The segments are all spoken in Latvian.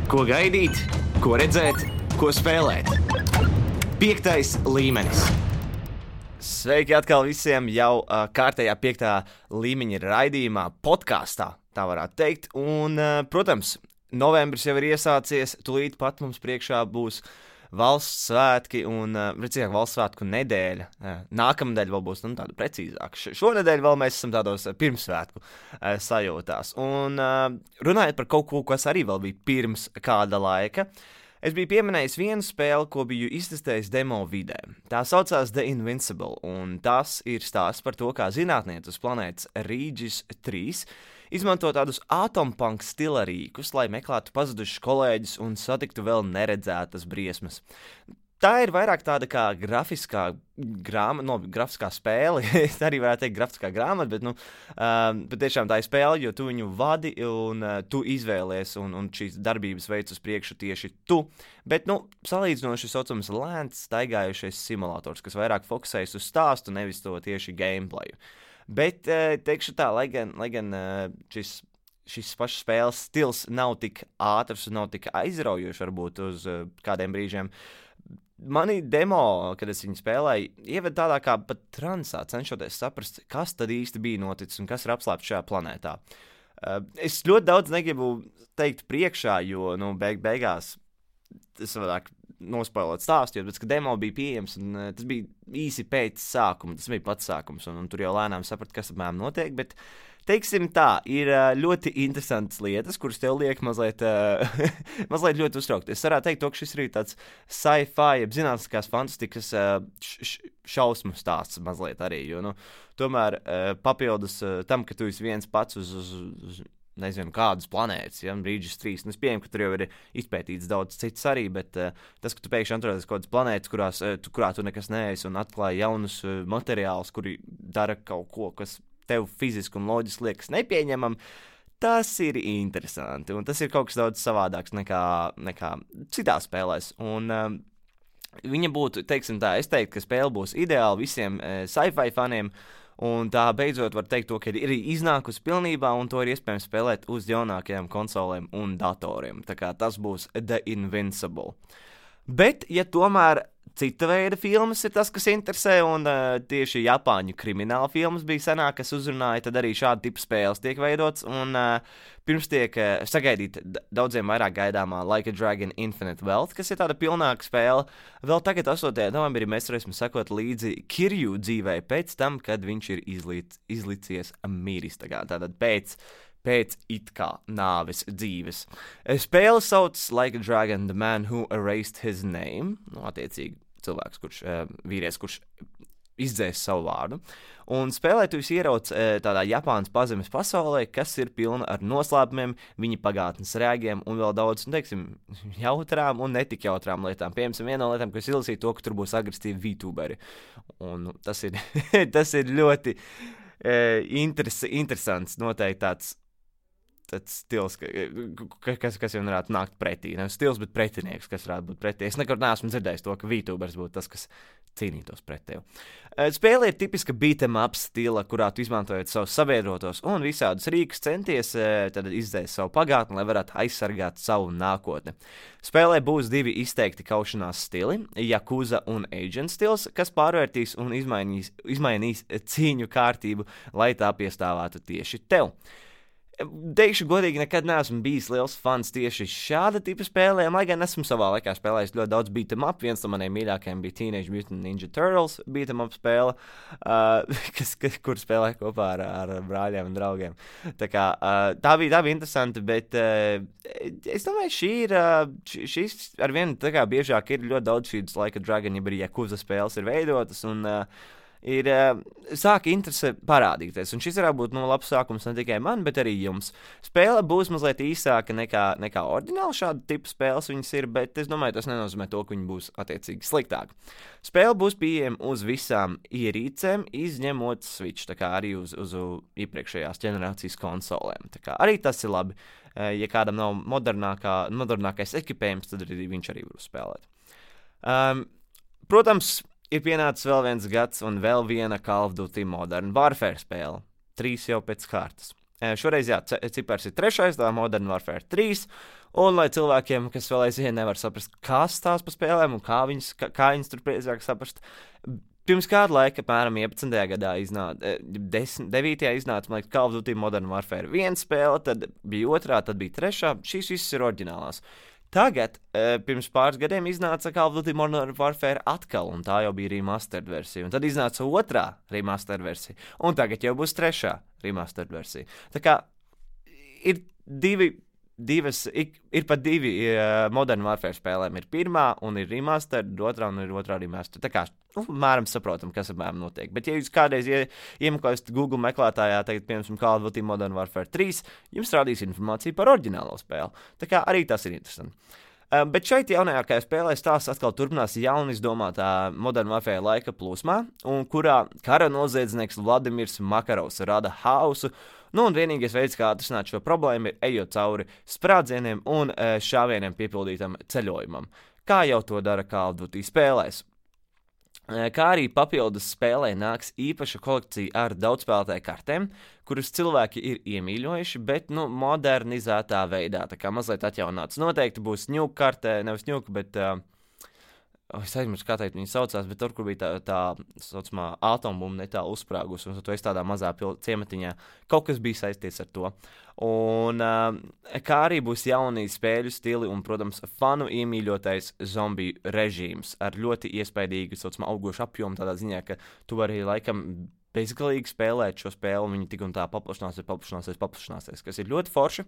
Ko gaidīt, ko redzēt, ko spēlēt. 5. līmenis. Sveiki atkal visiem jau kārtējā 5. līmeņa raidījumā, podkāstā, tā varētu teikt. Un, protams, novembris jau ir iesācies, tūlīt pat mums priekšā būs valsts svētki un, redzījāk, valsts svētku nedēļa. Nākamnedēļ vēl būs tāda precīzāka. Šonedēļ vēl mēs esam tādos pirmsvētku sajūtās. Un runājot par kaut ko, kas arī vēl bija pirms kāda laika, es biju pieminējis vienu spēli, ko biju iztestējis demo vidē. Tā saucās The Invincible, un tas ir stāsts par to, kā zinātnieki uz planētas Regis 3 izmanto tādus atompunk stila rīkus, lai meklētu pazudušus kolēģus un satiktu vēl neredzētas briesmas. Tā ir vairāk tāda kā grafiskā spēle, es arī varētu teikt grafiskā grāmata, bet, patiešām tā ir spēle, jo tu viņu vadi un tu izvēlies un šīs darbības veids uz priekšu tieši tu. Bet, salīdzinoši saucams lēns, staigājušais simulators, kas vairāk fokusējas uz stāstu, nevis to tieši gameplayu. Bet, teikšu tā, lai gan šis pašs spēles stils nav tik ātrs un nav tik aizraujošs varbūt uz kādiem brīžiem, mani demo, kad es viņu spēlēju, ieved tādā kā pat transā, cenšoties saprast, kas tad īsti bija noticis un kas ir apslēpts šajā planētā. Es ļoti daudz negribu teikt priekšā, jo, beigās tas varētu nospoilot stāstu, jo pēc, ka demo bija pieejams, un tas bija īsi pēc sākuma, tas bija pats sākums, un tur jau lēnām saprat, kas apmēram notiek, bet, teiksim tā, ir ļoti interesantas lietas, kuras tev liek mazliet ļoti uztraukt. Es varētu teikt, ka šis ir tāds sci-fi, zinātniskās fantastikas šausmu stāsts mazliet arī, jo, tomēr papildus tam, ka tu esi viens pats uz nezinu, kādas planētas, Regis 3. Es pieņemu, ka tur jau ir izpētīts daudz cits arī, bet tas, ka tu pēkšņi atrodies kaut kādas planētas, kurā tu nekas neesi un atklāji jaunus materiālus, kuri dara kaut ko, kas tev fiziski un loģiski liekas nepieņemam, tas ir interesanti, un tas ir kaut kas daudz savādāks nekā citās spēlēs, un viņa būtu, teiksim tā, es teiktu, ka spēle būs ideāla visiem sci-fi faniem, un tā beidzot var teikt to, ka ir iznākusi pilnībā, un to ir iespējams spēlēt uz jaunākajām konsolēm un datoriem. Tā kā tas būs The Invincible. Bet, ja tomēr cita veida filmas ir tas, kas interesē, un tieši Japāņu krimināla filmas bija senāk, kas uzrunāja, tad arī šāda tipa spēles tiek veidots, un pirms tiek sagaidīt daudziem vairāk gaidāmā Like a Dragon Infinite Wealth, kas ir tāda pilnāka spēle. Vēl tagad 8. novembrī mēs varēsim sekot līdzi Kirju dzīvei pēc tam, kad viņš ir izlicies miris, tātad pēc it kā nāves dzīves. Spēle sauc Like a Dragon, The Man Who Erased His Name, attiecīgi cilvēks, vīrietis, kurš izdzēs savu vārdu, un spēlē tu ierauc tādā Japānas pazemes pasaulē, kas ir pilna ar noslēpumiem, viņa pagātnes rēgiem un vēl daudz, jautrām un netik jautrām lietām. Piemēram, viena no lietām, ko es izlasīju, to, ka tur būs agresīvi VTuberi, un tas ir ļoti interesants, noteikti tāds stils, kas jau varētu nākt pretī. Nevis stils, bet pretinieks, kas varētu būt pretī. Es nekad neesmu dzirdējis to, ka VTubers būtu tas, kas cīnītos pret tevi. Spēle ir tipiska beat'em up stila, kurā tu izmantojot savus sabiedrotos un visādus rīkus centies tad izdzēst savu pagātni, lai varētu aizsargāt savu nākotni. Spēlē būs 2 izteikti kaušanās stili, Yakuza un Agent stils, kas pārvērtīs un izmainīs cīņu kārtību, lai tā piestāvētu tieši tev. Teikšu godīgi, nekad neesmu bijis liels fans tieši šāda tipa spēlēm, lai gan esmu savā laikā spēlējis ļoti daudz beat'em up. Viens no maniem mīļākajiem bija Teenage Mutant Ninja Turtles beat'em up spēle, kur spēlēja kopā ar brāļiem un draugiem. Tā kā tā bija interesanti, bet es domāju, šīs ar vienu tā kā biežāk ir ļoti daudz šīs Like a Dragon, ja arī Yakuza spēles ir veidotas, un sāka interese parādīties, un šis varētu būt labs sākums ne tikai man, bet arī jums. Spēle būs mazliet īsāka nekā ordināli šāda tipa spēles viņas ir, bet es domāju, tas nenozīmē to, ka viņi būs attiecīgi sliktāki. Spēle būs pieejama uz visām ierīcēm, izņemot Switch, tā kā arī uz iepriekšējās ģenerācijas konsolēm. Tā kā arī tas ir labi. Ja kādam nav modernākais ekipējums, tad viņš arī var spēlēt. Protams, ir pienācis vēl viens gads un vēl viena Call of Duty Modern Warfare spēle. 3 jau pēc kārtas. Šoreiz, jā, cipars ir 3, tā Modern Warfare 3, un lai cilvēkiem, kas vēl aizvien nevar saprast, kas tās pa spēlēm un kā viņas tur priecāk saprast, pirms kādu laiku, apmēram 11. gadā iznāca, 9. iznāca, man liekas, Call of Duty Modern Warfare 1 spēle, tad bija 2, tad bija 3, šīs visas ir oriģinālās. Tagad, pirms pāris gadiem iznāca Call of Duty Modern Warfare atkal, un tā jau bija remastered versija, un tad iznāca 2. remastered versija, un tagad jau būs 3. remastered versija. Tā kā ir ir pat 2 Modern Warfare spēlēm. Ir 1. un ir remastered, 2. un ir 2. remastered. Tā kā, mēram saprotam, kas apmēram notiek. Bet, ja jūs kādreiz iemeklēsiet Google meklētājā, tagad, piemēram, Call of Duty Modern Warfare 3, jums rādīs informāciju par oriģinālo spēli. Tā kā arī tas ir interesanti. Bet šeit jaunākajā spēlē stāsts atkal turpinās jauni izdomātā Modern Warfare laika plūsmā, un kurā kara noziedznieks Vladimirs Makarovs rada hausu. Un vienīgais veids, kā atrisināt šo problēmu, ir ejot cauri sprādzieniem un šāvieniem piepildītam ceļojumam, kā jau to dara Call of Duty spēlēs. Kā arī papildus spēlē nāks īpaša kolekcija ar daudzspēlētāju kartēm, kuras cilvēki ir iemīļojuši, bet, modernizētā veidā, tā kā mazliet atjaunāts. Noteikti būs ņūka kartē, nevis ņūka, bet... es aizmirsu, kā teikt, viņi saucās, bet tur, kur bija tā saucamā atombumba netālu uzsprāgus, un tu esi tādā mazā ciematiņā. Kaut kas bija saistīts ar to. Un kā arī būs jauni spēļu stili un, protams, fanu iemīļotais zombiju režīms ar ļoti iespaidīgu, saucamā, augošu apjomu, tādā ziņā, ka tu vari laikam bezgalīgi spēlēt šo spēli, un viņi tik un tā paplašināsies, kas ir ļoti forši.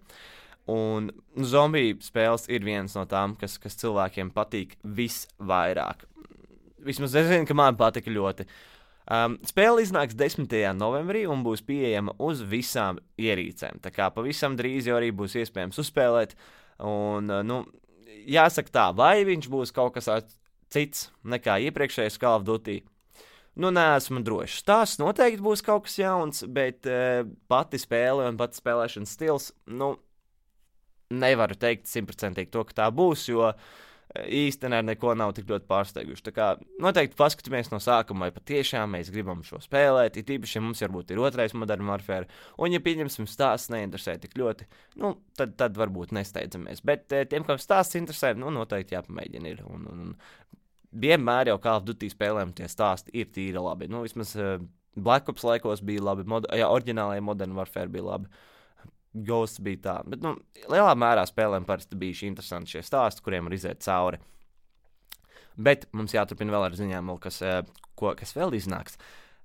Un zombiju spēles ir viens no tām, kas cilvēkiem patīk visvairāk. Vismaz es zinu, ka man patika ļoti. Spēle iznāks 10. novembrī un būs pieejama uz visām ierīcēm. Tā kā pavisam drīz jau arī būs iespējams uzspēlēt. Un, jāsaka tā, vai viņš būs kaut kas cits nekā iepriekšējais Call of Duty? Neesmu drošs. Tās noteikti būs kaut kas jauns, bet pati spēle un pati spēlēšanas stils, nevaru teikt 100% to, ka tā būs, jo īstenībā neko nav tik ļoti pārsteiguši. Tā kā noteikti paskatāmies no sākuma, vai patiešām mēs gribam šo spēlēt, it īpaši, ja mums varbūt ir 2. Modern Warfare, un ja pieņemsim stāsts neinteresē tik ļoti, tad varbūt nesteidzamies. Bet tiem, kam stāsts interesē, noteikti jāpamēģina ir. Un vienmēr jau Call of Duty spēlēm tie stāsti ir tīri labi. Vismaz Black Ops laikos bija labi, oriģinālajā Modern Warfare bija labi. Ghosts bija tā, bet lielā mērā spēlēm parasti bija šī interesanti šie stāsti, kuriem var iziet cauri. Bet mums jāturpina vēl ar ziņām, kas vēl iznāks.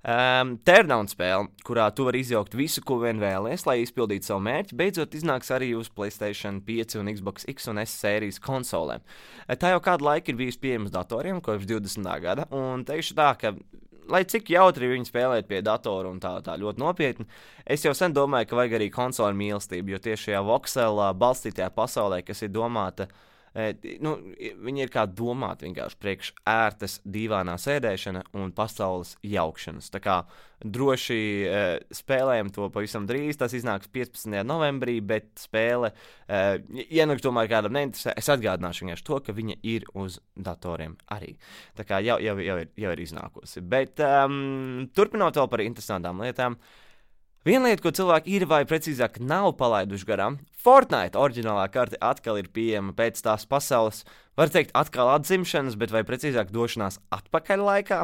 Teardown spēle, kurā tu vari izjaukt visu, ko vien vēlies, lai izpildītu savu mērķi, beidzot iznāks arī uz PlayStation 5 un Xbox X un S sērijas konsolēm. Tā jau kādu laiku ir bijusi pieejama datoriem, kopš 20. gada, un teikšu tā, ka lai cik jautri viņi spēlēt pie datora un tā ļoti nopietni, es jau sen domāju, ka vajag arī konsoli mīlestību, jo tieši šajā voxelā balstītajā pasaulē, kas ir domāta, viņi ir kā domāti vienkārši priekš ērtas dīvānā sēdēšana un pasaules jaukšanas. Tā kā droši spēlējam to pavisam drīz, tas iznāks 15. novembrī, bet spēle, ja tomēr kādam neinteresē, es atgādināšu vienkārši to, ka viņa ir uz datoriem arī. Tā kā jau ir iznākusi. Bet turpinot vēl par interesantām lietām, viena lieta, ko cilvēki ir vai precīzāk nav palaiduši garām, Fortnite oriģinālā karte atkal ir pieejama pēc tās pasaules, var teikt, atkal atzimšanas, bet vai precīzāk došanās atpakaļ laikā.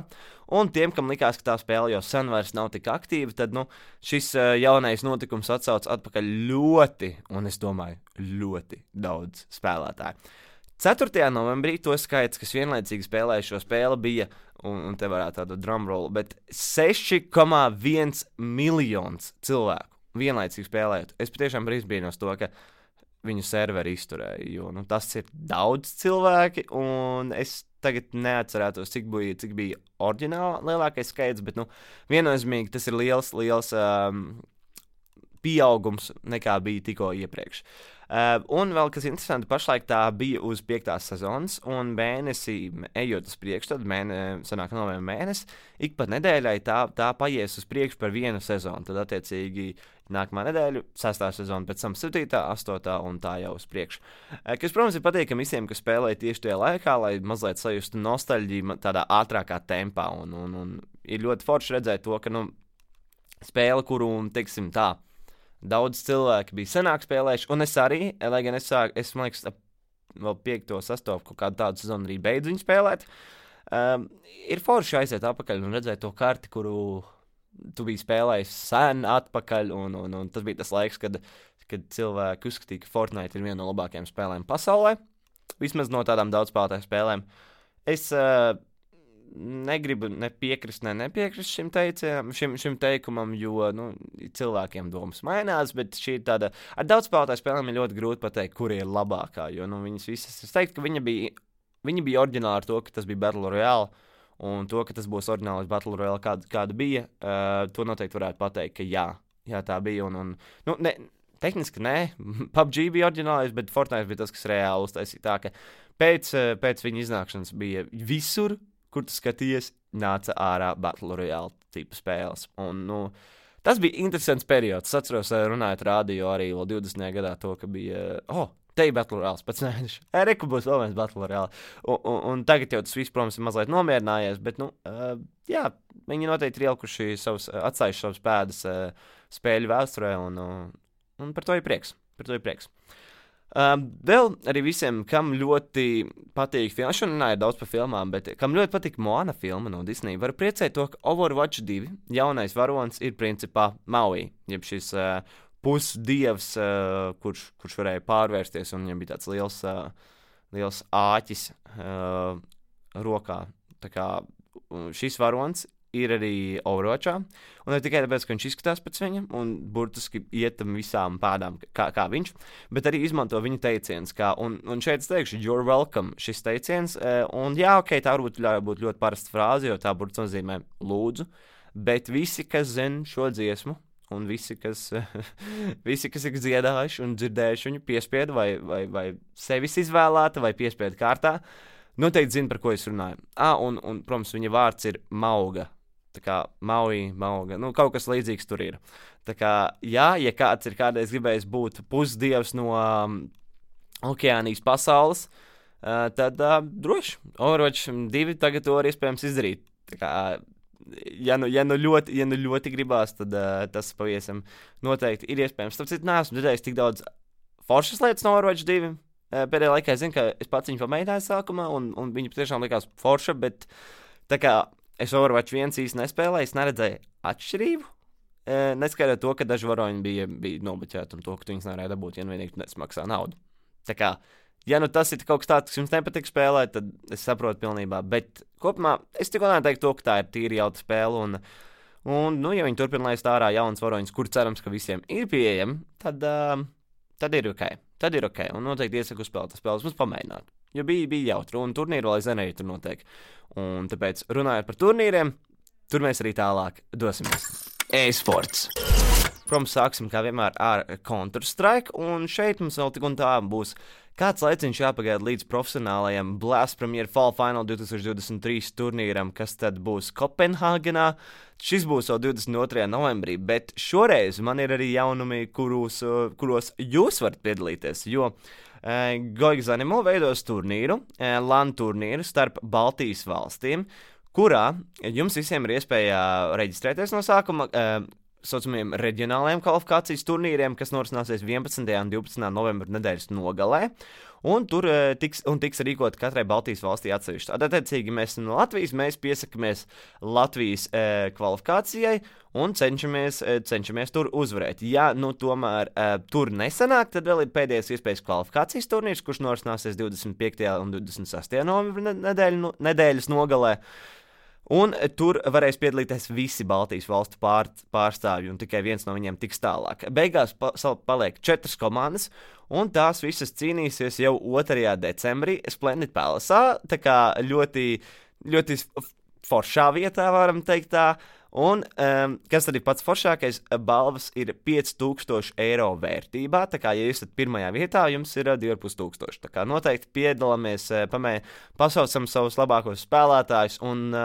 Un tiem, kam likās, ka tā spēle jau sen vairs nav tik aktīva, tad šis jaunais notikums atsauc atpakaļ ļoti, un es domāju, ļoti daudz spēlētāju. 4. novembrī to skaits, kas vienlaicīgi spēlēja šo spēli, bija, un te varētu tādu drumrollu, bet 6,1 miljons cilvēku vienlaicīgi spēlējot. Es patiešām brīsbīnos to, ka viņu serveri izturēja, jo tas ir daudz cilvēki, un es tagad neatcerētos, cik bija oriģināli lielākais skaits, bet viennozīmīgi tas ir liels pieaugums nekā bija tikko iepriekš. Un vēl kas interesanti, pašlaik tā bija uz 5. sezonas, un mēnesī ejot uz priekšu, tad sanāk novembra mēnesis, ik pa nedēļai tā paies uz priekšu par vienu sezonu, tad attiecīgi nākamā nedēļa, 6. sezona, pēc tam 7., 8. un tā jau uz priekšu. Kas, protams, ir patīkami visiem, kas spēlē tieši tajā laikā, lai mazliet sajustu nostalģiju tādā ātrākā tempā, un ir ļoti forši redzēt to, ka spēle, kuru, teiksim tā, Daudz cilvēki bija senāk spēlējuši, un es arī, lai gan es man liekas, vēl 5. 6. kaut kādu tādu sezonu arī beidzu viņu spēlēt. Ir forši aiziet atpakaļ un redzēt to karti, kuru tu biji spēlējis sen atpakaļ, un tas bija tas laiks, kad cilvēki uzskatīja, ka Fortnite ir viena no labākajām spēlēm pasaulē, vismaz no tādām daudzspēlētāju spēlēm. Es negribu nepiekrist šim teikumam, jo cilvēkiem domas mainās, bet šī ir tāda, ar daudzspēlētāju spēlēm ir ļoti grūti pateikt, kura ir labākā, jo viņas visas, es teiktu, ka viņi bija oriģināli ar to, ka tas bija Battle Royale, un to, ka tas būs oriģinālais Battle Royale, kāda bija, to noteikti varētu pateikt, ka jā tā bija, tehniski nē, PUBG bija oriģinālais, bet Fortnite bija tas, kas reāli uztaisīja tā, ka pēc viņa iznākšanas bija visur, kur tu skaties, nāca ārā Battle Royale tipa spēles. Un, tas bija interesants periods. Es atceros, runājot rādio arī vēl 20. gadā to, ka bija, te ir Battle Royale pēc mēneša. Reku būs vēl viens Battle Royale. Un tagad jau tas viss, protams, ir mazliet nomierinājies, bet, jā, viņi noteikti ir ielikuši atstājuši savas pēdas spēļu vēsturē, un par to ir prieks. Vēl arī visiem, kam ļoti patīk filmas, šodien runāju daudz par filmām, bet kam ļoti patīk Moana filma no Disney, varu priecēt to, ka Overwatch 2 jaunais varonis ir principā Maui, jeb šis pusdievs, kurš varēja pārvērsties, un viņam bija tāds liels āķis rokā. Tā kā šis varonis ir arī Overwatchā, un ne tikai tāpēc, ka viņš izskatās pēc viņa, un burtiski ietam visām pēdām, kā viņš, bet arī izmanto viņa teiciens, un šeit es teikšu, you're welcome, šis teiciens, un jā, tā varbūt būt ļoti parasta frāze, jo tā burtiski nozīmē lūdzu, bet visi, kas zina šo dziesmu, un visi, kas ir dziedājuši un dzirdējuši viņu piespiedu, vai sevis izvēlēta, vai piespiedu kārtā, noteikti zina, par ko es runāju. Un protams, viņa vārds ir Mauga. Tā kā Maui, Mauga, kaut kas līdzīgs tur ir. Tā kā, ja kāds ir kādreiz gribējis būt pusdievs no okeānijas pasaules, tad droši, Overwatch 2 tagad to var iespējams izdarīt. Tā kā, ja ļoti gribās, tad tas pavisam noteikti ir iespējams. Tāpēc neesmu dzirdējis tik daudz foršas lietas no Overwatch 2. Pēdējā laikā es zinu, ka es pats viņu pamēģināju sākumā, un viņa patiešām likās forša, bet tā kā es Overwatch 1 īsti nespēlēju, es neredzēju atšķirību. Neskaidrot to, ka daži varoņi bija nobuķēti un to, ka tu viņus nevarēja dabūt, ja vienīgi nesmaksā naudu. Tā kā, ja tas ir kaut kas tāds, kas jums nepatīk spēlēt, tad es saprotu pilnībā, bet kopumā es tikko neteiktu to, ka tā ir tīri jauta spēle, un ja viņi turpina laist ārā jaunas varoņus, kur cerams, ka visiem ir pieejami, tad ir ok. Un noteikti iesaku uzspēlēt spēles, mums pamēģināt. Jo bija jautri, un turnīri vēl aizvien arī tur notiek. Un tāpēc, runājot par turnīriem, tur mēs arī tālāk dosimies. E-sports. Protams, sāksim kā vienmēr ar Counter-Strike, un šeit mums vēl tik un tā būs kāds laiciņš jāpagaida līdz profesionālajam Blast Premier Fall Final 2023 turnīram, kas tad būs Kopenhāgenā. Šis būs jau 22. novembrī, bet šoreiz man ir arī jaunumi, kuros jūs varat piedalīties, jo Goigs Animo veidos turnīru, LAN turnīru starp Baltijas valstīm, kurā jums visiem ir iespēja reģistrēties no sākuma saucamiem reģionālajiem kvalifikācijas turnīriem, kas norisināsies 11. un 12. novembra nedēļas nogalē, un tur tiks rīkot katrai Baltijas valstī atsevišķi. Attiecīgi mēs no Latvijas, mēs piesakamies Latvijas kvalifikācijai un cenšamies tur uzvarēt. Ja tomēr tur nesanāk, tad vēl ir pēdējais iespējas kvalifikācijas turnīrs, kurš norisināsies 25. un 26. novembra nedēļas nogalē. Un tur varēs piedalīties visi Baltijas valstu pārstāvji, un tikai viens no viņiem tiks tālāk. Beigās paliek 4 komandas, un tās visas cīnīsies jau 2. decembrī Splendid Palace'ā, tā kā ļoti, ļoti foršā vietā, varam teikt tā. Un, kas tad ir pats foršākais, balvas ir 5,000 eiro vērtībā, tā kā, ja jūs esat pirmajā vietā, jums ir 2,500. Tā kā noteikti piedalāmies, pasaucam savus labākos spēlētājus un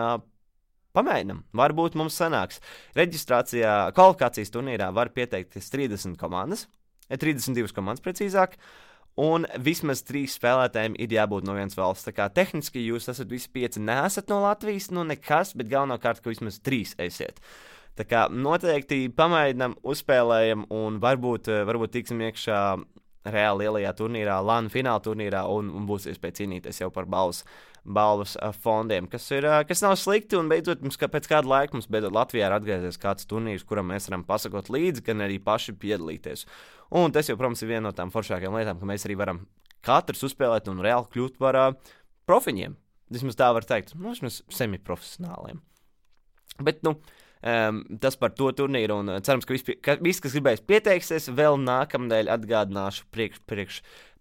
pamēģinam, varbūt mums sanāks. Reģistrācijā, kvalifikācijas turnīrā var pieteikties 32 komandas precīzāk, un vismaz 3 spēlētājiem ir jābūt no vienas valsts. Tā kā tehniski jūs esat visi 5 neesat no Latvijas, nekas, bet galvenokārt, ka vismaz 3 esiet. Tā kā noteikti pamēģinam, uzspēlējam un varbūt tiksim iekšā reāli lielajā turnīrā, LAN fināla turnīrā un būs iespēja cīnīties jau par balvas fondiem, kas nav slikti, un beidzot mums pēc kāda laika mums beidzot Latvijā ir atgriezies kāds turnīrs, kuram mēs varam pasakot līdzi, gan arī paši piedalīties. Un tas jau, protams, ir viena no tām foršākajām lietām, ka mēs arī varam katrs uzspēlēt un reāli kļūt par profiņiem. Vismaz tā var teikt, vismaz semiprofesionāliem. Bet, tas par to turnīru, un cerams, ka viss, kas gribēs pieteiksies, vēl nākamnedēļ atgādināšu priekš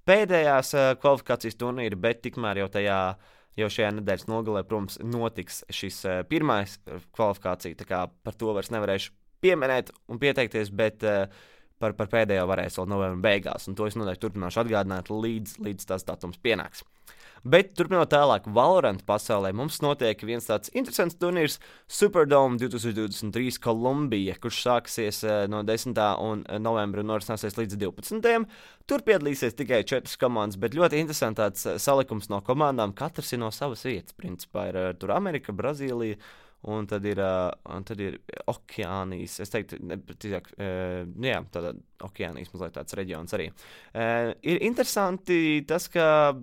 pēdējās kvalifikācijas turnīra, bet tikmēr jau šajā nedēļas nogalē, protams, notiks šis pirmais kvalifikācija, tā kā par to vairs nevarēšu pieminēt un pieteikties, bet par pēdējo varēs vēl novembra beigās, un to es noteikti turpināšu atgādināt līdz tas datums pienāks. Bet turpinot tālāk, Valorant pasaulē mums notiek viens tāds interesants turnīrs Superdome 2023 Kolumbija, kurš sāksies no 10. novembra un norisināsies līdz 12. Tur piedalīsies tikai 4 komandas, bet ļoti interesants tāds salikums no komandām. Katrs ir no savas vietas, principā ir tur Amerika, Brazīlija. Un tad ir Okeānijas, es teiktu, tātad Okeānijas mazliet tāds reģions arī. Ir interesanti tas, ka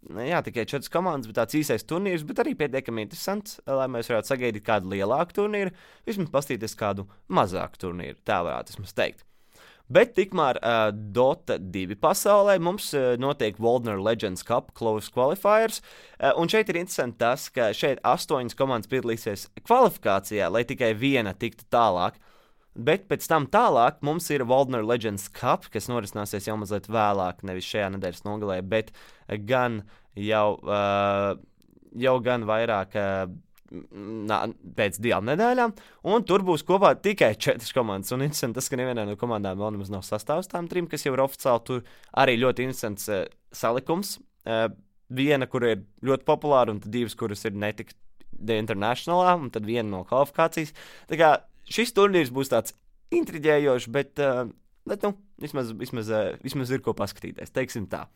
tikai 4 komandas, bet tāds īsais turnīrs, bet arī pietiekami interesants, lai mēs varētu sagaidīt kādu lielāku turnīru, vismaz pastīties kādu mazāku turnīru, tā varētu vismaz teikt. Bet tikmēr Dota 2 pasaulē mums notiek Waldner Legends Cup Close Qualifiers, un šeit ir interesanti tas, ka šeit 8 komandas piedalīsies kvalifikācijā, lai tikai viena tiktu tālāk, bet pēc tam tālāk mums ir Waldner Legends Cup, kas norisināsies jau mazliet vēlāk, nevis šajā nedēļas nogalē, bet gan jau gan vairāk pēc 2 nedēļām, un tur būs kopā tikai 4 komandas, un interesanti tas, ka nevienā no komandām vēl nemaz nav sastāvs tām 3, kas jau ir oficiāli, tur arī ļoti interesants salikums, viena, kur ir ļoti populāra, un tad 2, kuras ir netik internationalā, un tad viena no kvalifikācijas, tā kā šis turnīrs būs tāds intriģējošs, bet vismaz ir ko paskatīties, teiksim tā.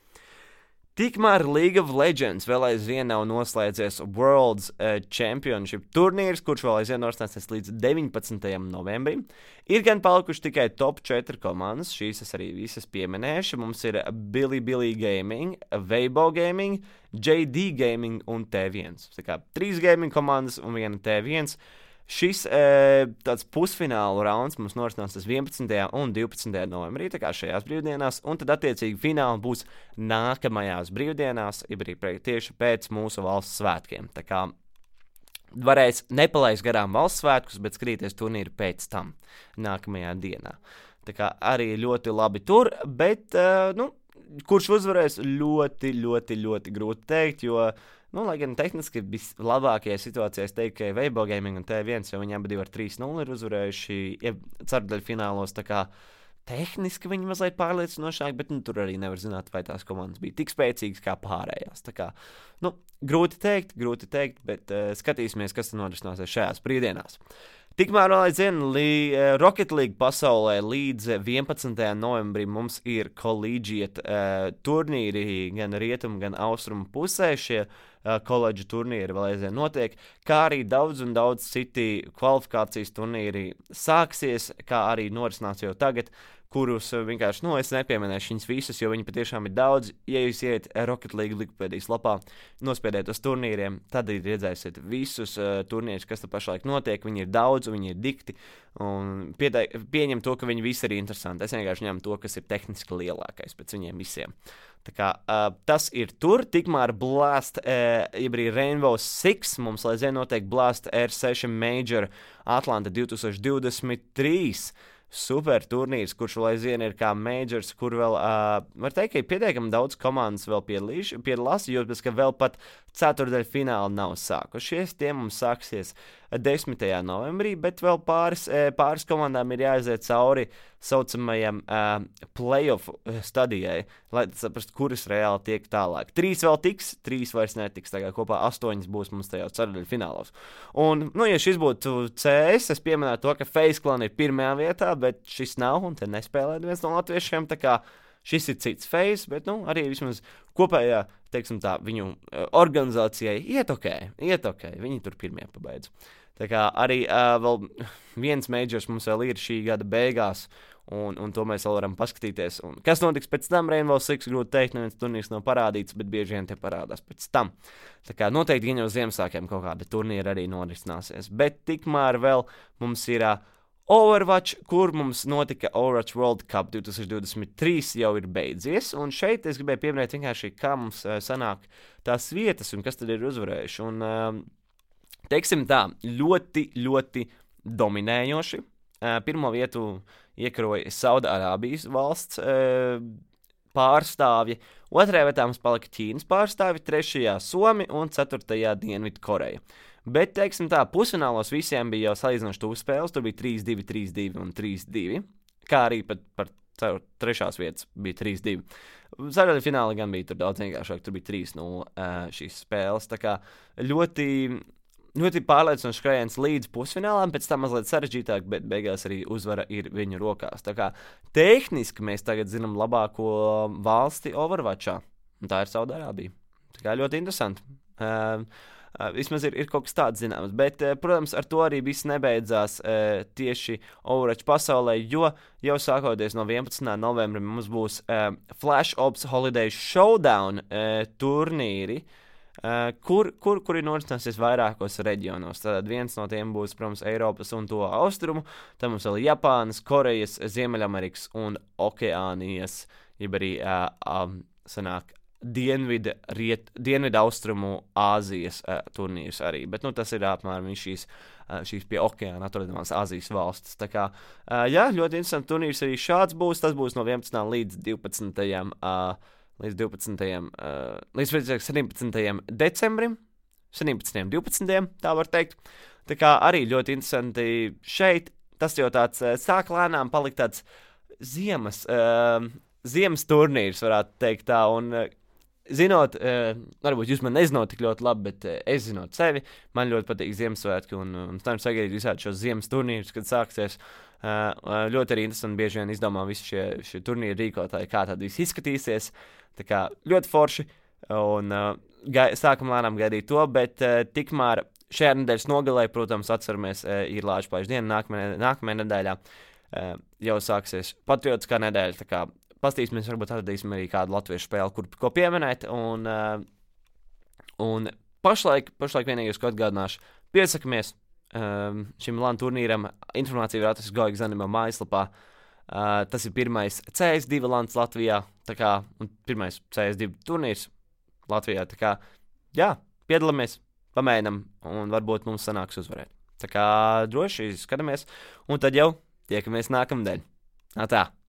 Tikmēr League of Legends vēl aizvien nav noslēdzies World's Championship turnīrs, kurš vēl aizvien norisināsies līdz 19. novembrim. Ir gan palikuši tikai top 4 komandas, šīs es arī visas pieminēšu. Mums ir Bilibili Gaming, Weibo Gaming, JD Gaming un T1. Tā kā 3 gaming komandas un 1 T1. Šis tāds pusfinālu rauns mums norisināsies 11. un 12. novembrī, tā kā šajās brīvdienās, un tad attiecīgi fināli būs nākamajās brīvdienās, tieši pēc mūsu valsts svētkiem. Tā kā varēs nepalaist garām valsts svētkus, bet skatīties turnīru pēc tam, nākamajā dienā. Tā kā arī ļoti labi tur, bet, kurš uzvarēs ļoti, ļoti, ļoti grūti teikt, jo lai gan tehniski vislabākajā situācijā es teiktu, ka Weibo Gaming un T1, jo viņi abi ar 3-0 ir uzvarējuši ceturdaļu finālos, tā kā tehniski viņi mazliet pārliecinošāk, bet tur arī nevar zināt, vai tās komandas bija tik spēcīgas kā pārējās. Tā kā, grūti teikt, bet skatīsimies, kas tad norisināsies šajās brīvdienās. Tikmēr aizvien Rocket League pasaulē līdz 11. novembrim mums ir collegiate turnīri gan rietumu, gan austrumu pusē. Šie koledžu turnīri vēl aizvien notiek, kā arī daudz citi kvalifikācijas turnīri sāksies, kā arī norisinās jau tagad, kurus vienkārši, es nepieminēšu viņus visus, jo viņi patiešām ir daudz. Ja jūs iet Rocket League Wikipēdijas lapā, nospiediet uz turnīriem, tad redzēsiet visus turnīrus, kas te pašlaik notiek. Viņi ir daudz, viņi ir dikti, un pieņem to, ka viņi visi ir interesanti. Es vienkārši ņemu to, kas ir tehniski lielākais pēc viņiem visiem. Tā kā tas ir tur, tikmēr Blast, arī Rainbow Six, mums aizvien notiek Blast R6 Major Atlanta 2023. Super turnīrs, kurš vēl aizvien ir kā majors, kur vēl, var teikt, ka ir pietiekami daudz komandas vēl piedalās, jo pēc, ka vēl pat ceturdaļa fināli nav sākušies. Tie mums sāksies 10. novembrī, bet vēl pāris komandām ir jāaiziet cauri saucamajam playoff stadijai, lai saprastu, kuras reāli tiek tālāk. 3 vēl tiks, 3 vairs netiks, tā kā kopā 8 būs mums tajā ceturdaļa finālos. Un, ja šis būtu CS, es pieminētu to, ka FaZe Clan ir pirmajā vietā, bet šis nav, un te nespēlē viens no latviešiem, tā kā Šis ir cits phase, bet arī vismaz kopējā, teiksim tā, viņu organizācijai iet ok. Viņi tur pirmie pabeidz. Tā kā arī vēl viens majors mums vēl ir šī gada beigās, un to mēs vēl varam paskatīties. Un kas notiks pēc tam, Rainbow Six, grūti teikt, neviens turnīrs nav parādīts, bet bieži vien te parādās pēc tam. Tā kā noteikti gan jau Ziemassvētkiem kaut kāda turnīra arī norisināsies. Bet tikmēr vēl mums ir Overwatch, kur mums notika Overwatch World Cup 2023 jau ir beidzies, un šeit es gribēju pieminēt vienkārši, kā mums sanāk tās vietas un kas tad ir uzvarējuši. Un, teiksim tā, ļoti, ļoti dominējoši. Pirmo vietu iekaroja Saudārābijas valsts pārstāvji, otrajā vietā mums palika Ķīnas pārstāvji, trešajā Somi un ceturtajā Dienvidkoreja. Bet, teiksim tā, pusfinālos visiem bija jau salīdzinoši tuvu spēles, tur bija 3-2, 3-2 un 3-2, kā arī pat par trešās vietas bija 3-2. Ceturtajā finālā gan bija tur daudz vienkāršāk, tur bija 3-0 šīs spēles, tā kā ļoti pārliecinošs skrējiens līdz pusfinālām, pēc tam mazliet sarežģītāk, bet beigās arī uzvara ir viņu rokās. Tā kā tehniski mēs tagad zinām labāko valsti Overwatchā, un tā ir Saudārābija. Tā kā ļoti interesanti. Vismaz ir kaut kas tāds zināms, bet, protams, ar to arī viss nebeidzās tieši Overwatch pasaulē, jo jau sākoties no 11. novembra mums būs Flash Ops Holiday Showdown turnīri, kuri norisināsies vairākos reģionos. Tad viens no tiem būs, protams, Eiropas un to austrumu, tad mums vēl Japānas, Korejas, Ziemeļamerikas un Okeānijas, jeb arī sanāk Dienvidu austrumu Āzijas turnīrs arī, bet tas ir apmēram šīs pie okeāna atrodamās Āzijas valstis. Tā kā, jā, ļoti interesants turnīrs arī šāds būs, tas būs no 11. līdz 17. decembrim, 17. 12. tā var teikt. Tā kā arī ļoti interesanti šeit, tas jau tāds sāk lēnām palikt tāds ziemas turnīrs, varētu teikt tā, un zinot, varbūt jūs man nezinot tik ļoti labi, bet es zinot sevi, man ļoti patīk Ziemassvētki, un tam sagaidīt visādi šos ziemas turnīrus, kad sāksies. Ļoti arī interesanti bieži vien izdomā visi šie turnīri rīkotāji, kā tad viss izskatīsies. Tā kā ļoti forši, un sākam lēnām gaidīt to, bet tikmēr šajā nedēļas nogalē, protams, atceramies, ir Lāčplēša diena, nākamajā nedēļā jau sāksies patriotiskā nedēļa, tā kā pastīsimies, varbūt atradīsim arī kādu latviešu spēli, ko pieminēt, un pašlaik vienīgais, ko atgādināšu, piesakamies šim LAN turnīram, informācija var atrast Goigas Animo mājaslapā. Tas ir pirmais CS2 LANs Latvijā, tā kā, un pirmais CS2 turnīrs Latvijā, tā kā, jā, piedalāmies, pamēģinam, un varbūt mums sanāks uzvarēt. Tā kā droši skatāmies, un tad jau tiekamies nākamnedēļ. Tā!